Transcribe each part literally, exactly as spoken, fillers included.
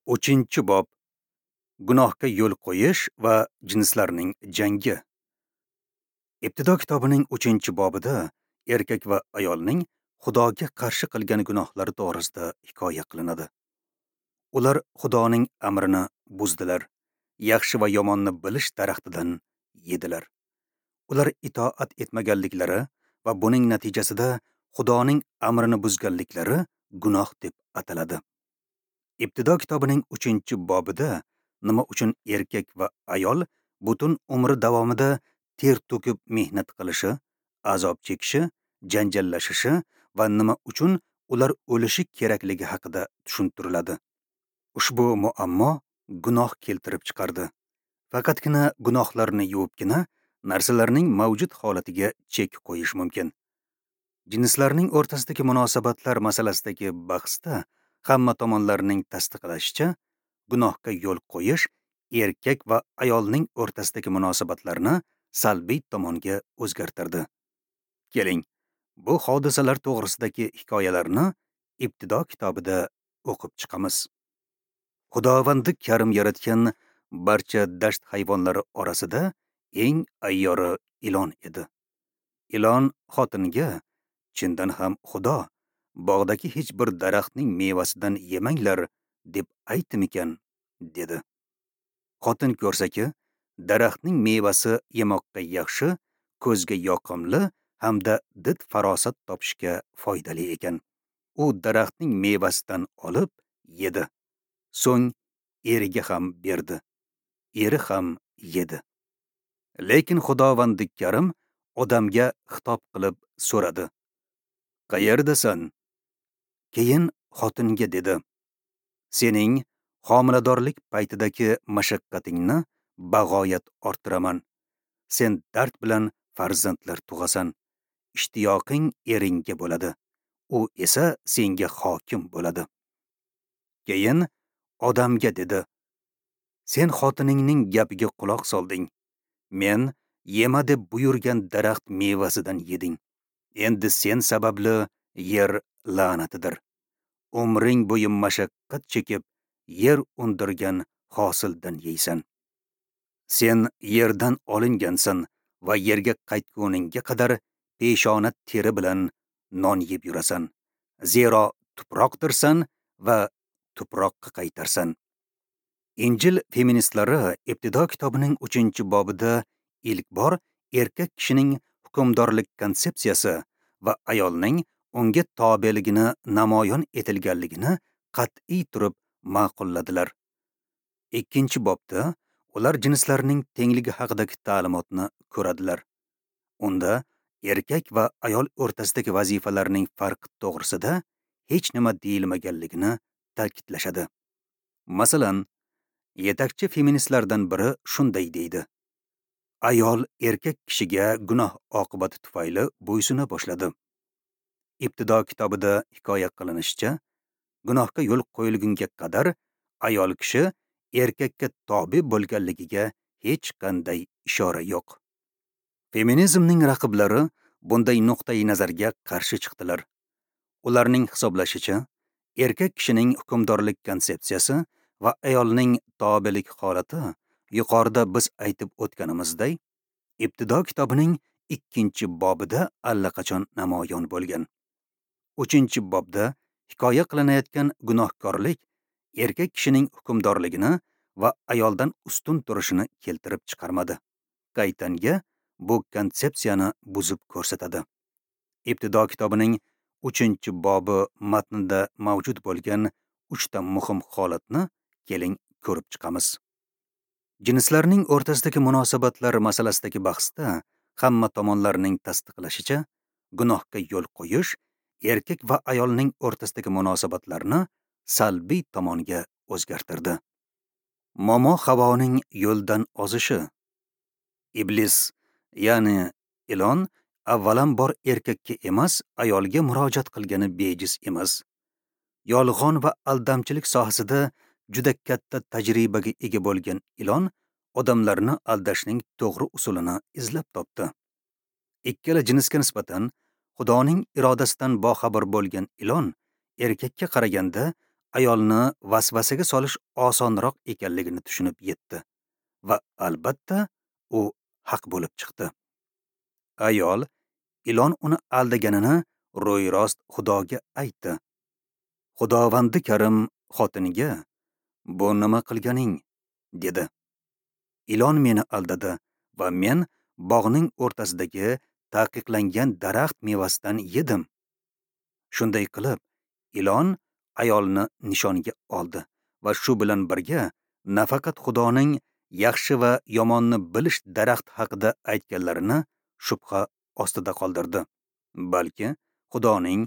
Uchinchi bob. Gunohga yo'l qo'yish va jinslarning jangi. Ibtido kitobining uchinchi bobida erkak va ayolning Xudoga qarshi qilgan gunohlari to'g'risida hikoya qilinadi. Ular Xudoning amrini buzdilar, yaxshi va yomonni bilish daraxtidan yedilar. Ular itoat etmaganliklari va buning natijasida Xudoning amrini buzganliklari gunoh deb ataladi. Ibtido kitobining uchinchi bobida nima uchun erkak va ayol butun umri davomida ter to'kib mehnat qilishi, azob chekishi, janjallashishi va nima uchun ular o'lishi kerakligi haqida tushuntiriladi. Ushbu muammo gunoh keltirib chiqardi. Faqatgina gunohlarni yuvibgina narsalarning mavjud holatiga chek qo'yish mumkin. Jinslarning o'rtasidagi munosabatlar masalasidagi bahsda hamma tomonlarning tasdiqlashicha, gunohga yo'l qo'yish erkak va ayolning o'rtasidagi munosabatlarni salbiy tomonga o'zgartirdi. Keling, bu hodisalar to'g'risidagi hikoyalarni Ibtido kitobida o'qib chiqamiz. Xudovandi Karim yaratgan barcha dasht hayvonlari orasida eng ayyori ilon edi. Ilon xotinga, "Chindan ham Xudo bog'dagi hech bir daraxtning mevasidan yemanglar deb aytdimikan?" dedi. Xotin ko'rsaki, daraxtning mevasi yemoqqa yaxshi, ko'zga yoqimli hamda did farosat topishga foydali ekan. U daraxtning mevasidan olib yedi. So'ng eriga ham berdi. Eri ham yedi. Lekin Xudovandi Karim odamga xitob qilib so'radi: "Qayerdasan?" Keyin xotinga dedi: "Sening homiladorlik paytidagi mashaqqatingni bag'oyat orttiraman. Sen dard bilan farzandlar tug'asan. Ishtiyoqing eringga bo'ladi. U esa senga hokim bo'ladi." Keyin odamga dedi: "Sen xotiningning gapiga quloq solding. Men yema deb buyurgan daraxt mevasidan yeding. Endi sen sababli yer la'natidir. Umring bo'yi mashaqqat chekib, yer undirgan hosildan yeysan. Sen yerdan olingansan va yerga qaytguningga qadar peshona teri bilan non yeb yurasan. Zero tuproqdirsan va tuproqqa qaytarsan." Injil feministlari Ibtido kitobining uchinchi bobida ilk bor erkak kishining hukmdorlik konsepsiyasi va ayolning unga tobeligini namoyon etilganligini qat'iy turib ma'qulladilar. Ikkinchi bobda ular jinslarning tengligi haqidagi ta'limotni ko'radilar. Unda erkak va ayol o'rtasidagi vazifalarning farqi to'g'risida hech nima deyilmaganligini ta'kidlashadi. Masalan, yetakchi feministlardan biri shunday deydi: "Ayol erkak kishiga gunoh oqibati tufayli bo'ysuna boshladi." Ibtido kitobida hikoya qilinishicha, gunohga yo'l qo'yilgunga qadar ayol kishi erkakka tobe bo'lganligiga hech qanday ishora yo'q. Feminizmning raqiblari bunday nuqtai nazarga qarshi chiqdilar. Ularning hisoblashicha, erkak kishining hukmdorlik konsepsiyasi va ayolning tobelik holati yuqorida biz aytib o'tganimizday, Ibtido kitobining ikkinchi bobida allaqachon namoyon bo'lgan. Uchinchi bobda hikoya qilinayotgan gunohkorlik erkak kishining hukmdorligini va ayoldan ustun turishini keltirib chiqarmadi. Qaytanga bu konsepsiyani buzib ko'rsatadi. Ibtido kitobining uchinchi bobi matnida mavjud bo'lgan uchta muhim holatni keling ko'rib chiqamiz. Jinslarning o'rtasidagi munosabatlar masalasidagi bahsda hamma tomonlarning tasdiqlashicha, gunohga yo'l qo'yish erkak va ayolning o'rtasidagi munosabatlarni salbiy tomonga o'zgartirdi. Momo Havoning yo'ldan ozishi. Iblis, ya'ni ilon, avvalambor erkakka emas, ayolga murojaat qilgani bejiz emas. Yolg'on va aldamchilik sohasida juda katta tajribaga ega bo'lgan ilon odamlarni aldashning to'g'ri usulini izlab topdi. Ikkala jinsga nisbatan Xudoning irodasidan boxabar bo'lgan ilon erkakka qaraganda ayolni vasvasaga solish osonroq ekanligini tushunib yetdi va albatta u haq bo'lib chiqdi. Ayol ilon uni aldaganini ro'yrost Xudoga aytdi. Xudovandi Karim xotiniga: "Bu nima qilganing?" dedi. Ilon meni aldadi va men bog'ning o'rtasidagi taqiqlangan daraxt mevasidan yedim. Shunday qilib, ilon ayolni nishonga oldi va shu bilan birga nafaqat Xudoning yaxshi va yomonni bilish daraxt haqida aytganlarini shubha ostida qoldirdi, balki Xudoning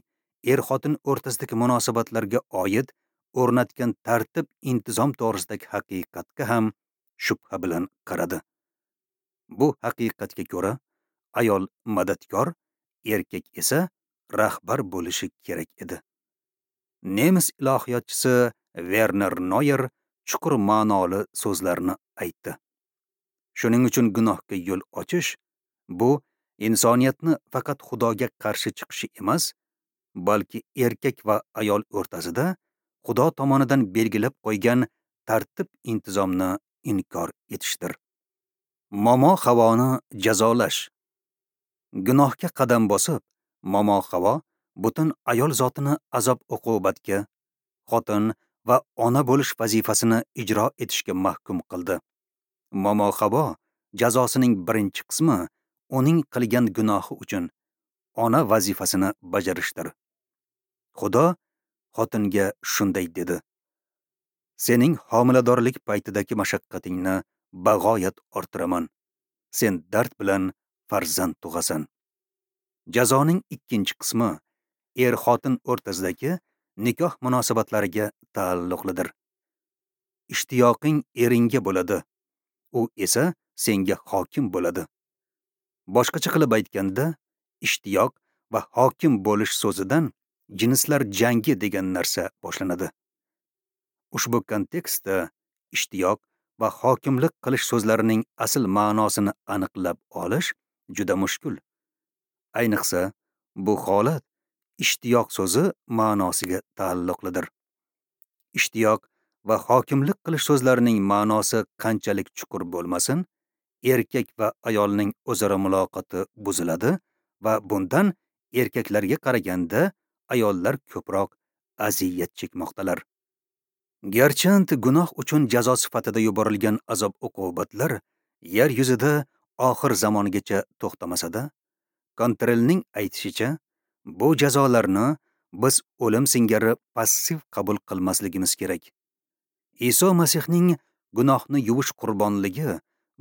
er-xotin o'rtasidagi munosabatlarga oid o'rnatgan tartib intizom to'g'risidagi haqiqatga ham shubha bilan qaradi. Bu haqiqatga ko'ra, ayol madadkor, erkak esa rahbar bo'lishi kerak edi. Nemis ilohiyotchisi Werner Noyer chuqur ma'noli so'zlarni aytdi. Shuning uchun gunohga yo'l ochish bu insoniyatni faqat Xudoga qarshi chiqishi emas, balki erkak va ayol o'rtasida Xudo tomonidan belgilab qo'ygan tartib intizomni inkor etishdir. Momo Havoni jazolash. Gunohga qadam bosib, Momo Havo butun ayol zotini azob-uqubatga, xotin va ona bo'lish vazifasini ijro etishga mahkum qildi. Momo Havo jazosining birinchi qismi uning qilgan gunohi uchun ona vazifasini bajarishdir. Xudo xotinga shunday dedi: "Sening homiladorlik paytidagi mashaqqatingni bag'oyat orttiraman. Sen dard bilan farzand tug'asan." Jazoning ikkinchi qismi er-xotin o'rtasidagi nikoh munosabatlariga taalluqlidir. Ishtiyoqing eringga bo'ladi, u esa senga hokim bo'ladi. Boshqacha qilib aytganda, ishtiyoq va hokim bo'lish so'zidan jinslar jangi degan narsa boshlanadi. Ushbu kontekstda ishtiyoq va hokimlik qilish so'zlarining asl ma'nosini aniqlab olish juda mushkul. Ayniqsa, bu holat ishtiyoq so'zi ma'nosiga taalluqlidir. Ishtiyoq va hokimlik qilish so'zlarining ma'nosi qanchalik chuqur bo'lmasin, erkak va ayolning o'zaro muloqoti buziladi va bundan erkaklarga qaraganda ayollar ko'proq aziyat chekmoqdalar. Garchand gunoh uchun jazo sifatida yuborilgan azob-uqubatlar yer yuzida oxir zamongacha to'xtamasa-da, Kontrelning aytishicha, bu jazolarni biz o'lim singari passiv qabul qilmasligimiz kerak. Iso Masihning gunohni yuvish qurbonligi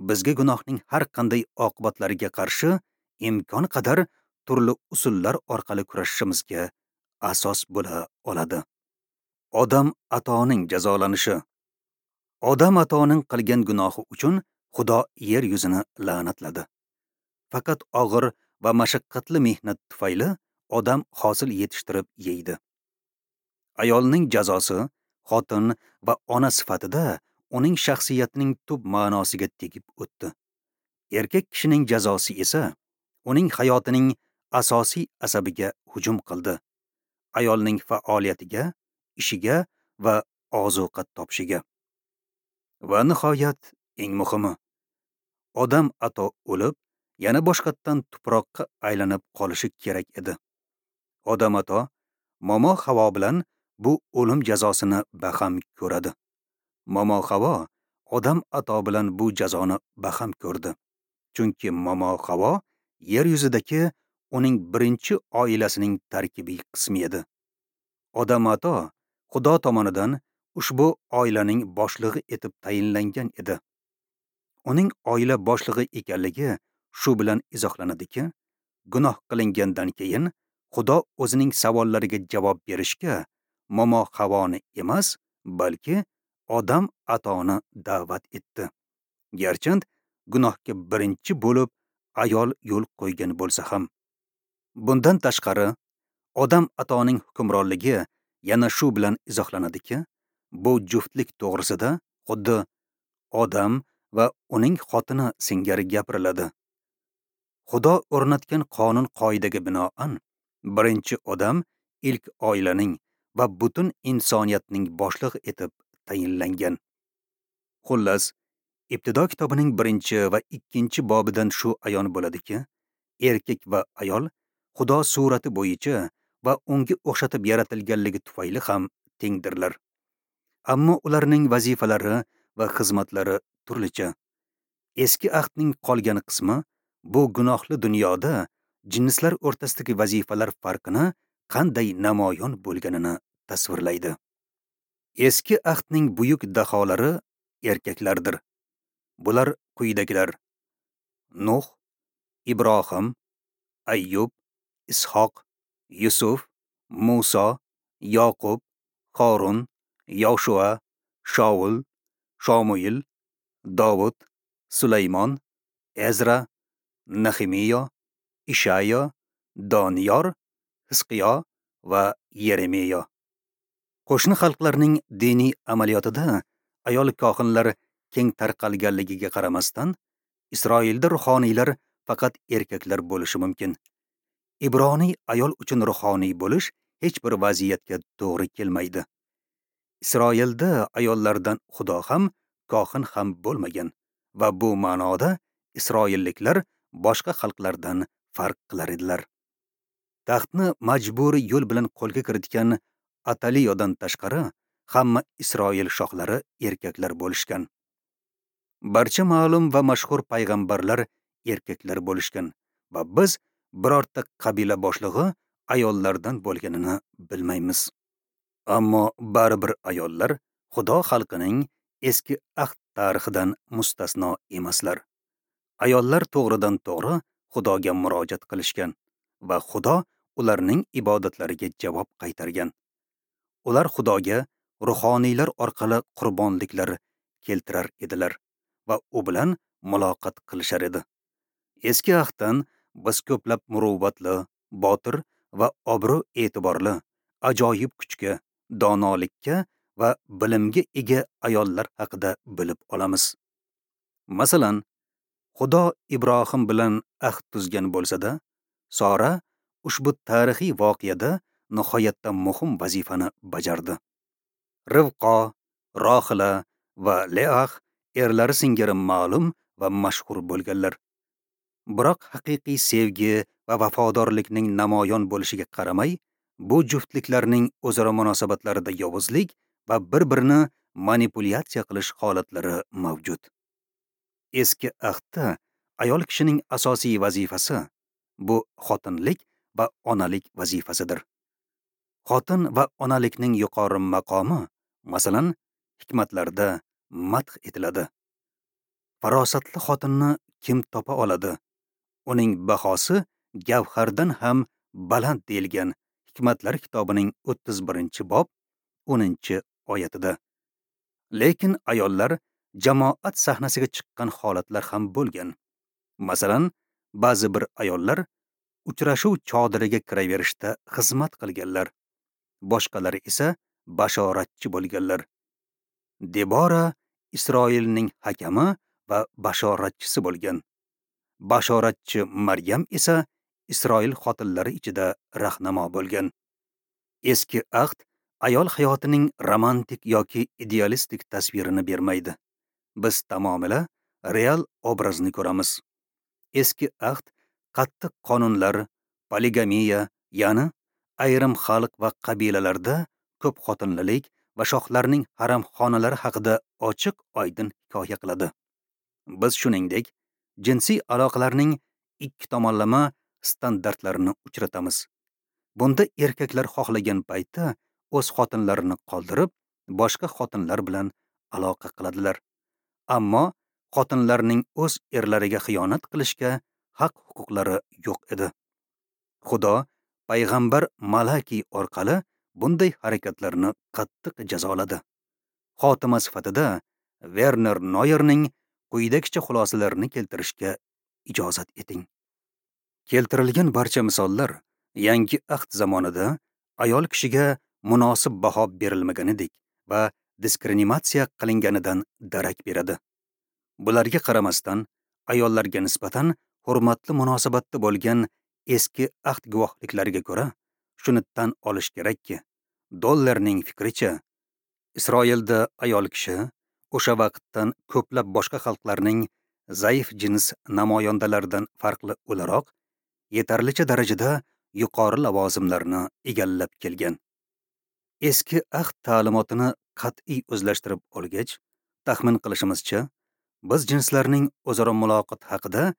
bizga gunohning har qanday oqibatlariga qarshi imkon qadar turli usullar orqali kurashishimizga asos bo'la oladi. Odam atoning jazolanishi. Odam atoning qilgan gunohi uchun Xudo yer yuzini la'natladi. Faqat og'ir va mashaqqatli mehnat tufayli odam hosil yetishtirib yeydi. Ayolning jazosi xotin va ona sifatida uning shaxsiyatining tub ma'nosiga tegib o'tdi. Erkak kishining jazosi esa uning hayotining asosiy asabiga hujum qildi. Ayolning faoliyatiga, ishiga va ozuqa topishiga. Va nihoyat, eng muhimi, odam ato o'lib, yana boshqatdan tuproqqa aylanib qolishi kerak edi. Odam ato Momo Havo bilan bu o'lim jazosini baham ko'radi. Momo Havo odam ato bilan bu jazoni baham ko'rdi. Chunki Momo Havo yer yuzidagi uning birinchi oilasining tarkibiy qismi edi. Odam ato Xudo tomonidan ushbu oilaning boshlig'i etib tayinlangan edi. Uning oila boshlig'i ekanligi shu bilan izohlanadiki, gunoh qilingandan keyin Xudo o'zining savollariga javob berishga Momo Havoni emas, balki odam atoni da'vat etdi. Garchand gunohga birinchi bo'lib ayol yo'l qo'ygan bo'lsa ham. Bundan tashqari, odam atoning hukmronligi yana shu bilan izohlanadiki, bu juftlik to'g'risida xuddi odam va uning xotini singari gapiriladi. Xudo o'rnatgan qonun qoidaga binoan, birinchi odam ilk oilaning va butun insoniyatning boshlig'i etib tayinlangan. Xullas, Ibtido kitobining birinchi va ikkinchi bobidan shu ayon bo'ladiki, erkak va ayol Xudo surati bo'yicha va unga o'xshatib yaratilganligi tufayli ham tengdirlar. Ammo ularning vazifalari va xizmatlari turlicha. Eski ahdning qolgan qismi bu gunohli dunyoda jinslar o'rtasidagi vazifalar farqini qanday namoyon bo'lganini tasvirlaydi. Eski ahdning buyuk daholari erkaklardir. Bular quyidagilar: Nuh, Ibrohim, Ayyub, Ishoq, Yusuf, Muso, Yoqub, Horun, Yoshua, Shaul, Shomuil, Dovud, Sulaymon, Ezra, Nehemiya, Ishayo, Doniyor, Hizqiyo va Yeremiya. Qo'shni xalqlarning diniy amaliyotida ayol kohinlar keng tarqalganligiga qaramasdan, Isroilda ruhoniylar faqat erkaklar bo'lishi mumkin. Ibroniy ayol uchun ruhoniy bo'lish hech bir vaziyatga to'g'ri kelmaydi. Isroilda ayollardan Xudo ham, kohin ham bo'lmagan va bu ma'noda isroilliklar boshqa xalqlardan farq qilar edilar. Taxtni majburiy yo'l bilan qo'lga kiritgan Ataliyodan tashqari hamma Isroil shohlari erkaklar bo'lishgan. Barcha ma'lum va mashhur payg'ambarlar erkaklar bo'lishgan va biz birorta qabila boshlig'i ayollardan bo'lganini bilmaymiz. Ammo baribir ayollar Xudo xalqining eski ahd tarixidan mustasno emaslar. Ayollar to'g'ridan to'g'ri Xudoga murojaat qilishgan va Xudo ularning ibodatlariga javob qaytargan. Ular Xudoga ruhoniylar orqali qurbonliklar keltirar edilar va u bilan muloqot qilishar edi. Eski ahddan biz ko'plab muruvvatli, botir va obro' e'tiborli, ajoyib kuchga, donolikka va bilimga ega ayollar haqida bilib olamiz. Masalan, Xudo Ibrohim bilan ahd tuzgan bo'lsa-da, Sora ushbu tarixiy voqeada nihoyatda muhim vazifani bajardi. Rivqo, Rohila va Leah erlari singari ma'lum va mashhur bo'lganlar. Biroq haqiqiy sevgi va vafodorlikning namoyon bo'lishiga qaramay, bu juftliklarning o'zaro munosabatlarida yovuzlik va bir-birini manipulyatsiya qilish holatlari mavjud. Eski ahdda ayol kishining asosiy vazifasi bu xotinlik va onalik vazifasidir. Xotin va onalikning yuqori maqomi, masalan, hikmatlarda madh etiladi. Farosatli xotinni kim topa oladi? Uning bahosi gavhardan ham baland deyilgan Hikmatlar kitobining o'ttiz birinchi bob o'ninchi oyatida. Lekin ayollar jamoat sahnasiga chiqqan holatlar ham bo'lgan. Masalan, ba'zi bir ayollar uchrashuv chodiriga kiraverishda xizmat qilganlar. Boshqalari esa bashoratchi bo'lganlar. Debora Isroilning hakami va bashoratchisi bo'lgan. Bashoratchi Maryam esa Isroil xotinlari ichida rahnamo bo'lgan. Eski ahd ayol hayotining romantik yoki idealistik tasvirini bermaydi. Biz tamomila real obrazni ko'ramiz. Eski ahd qattiq qonunlar, poligamiya, ya'ni ayrim xalq va qabilalarda ko'p xotinlilik va shohlarning haromxonalari haqida ochiq oydin hikoya qiladi. Biz shuningdek jinsiy aloqalarning ikki tomonlama standartlarini uchratamiz. Bunda erkaklar xohlagan paytda o'z xotinlarini qoldirib, boshqa xotinlar bilan aloqa qiladilar. Ammo xotinlarning o'z erlariga xiyonat qilishga haq-huquqlari yo'q edi. Xudo payg'ambar Malaki orqali bunday harakatlarni qattiq jazoladi. Xotima sifatida Werner Noyerning quyidagicha xulosalarini keltirishga ijozat eting. Keltirilgan barcha misollar yangi ahd zamonida ayol kishiga munosib baho berilmaganidek va diskriminatsiya qilinganidan darak beradi. Bularga qaramasdan, ayollarga nisbatan hurmatli munosabatda bo'lgan eski ahd guvohliklariga ko'ra, shuni tan olish kerakki, Dollerning fikricha, Isroilda ayol kishi o'sha vaqtdan ko'plab boshqa xalqlarning zaif jins namoyandalaridan farqli o'laroq yetarlicha darajada yuqori lavozimlarni egallab kelgan. Eski ahd ta'limotini qat'iy o'zlashtirib olgach, taxmin qilishimizcha, biz jinslarning o'zaro muloqot haqida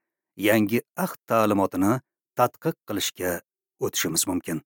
yangi ahd ta'limotini tadqiq qilishga o'tishimiz mumkin.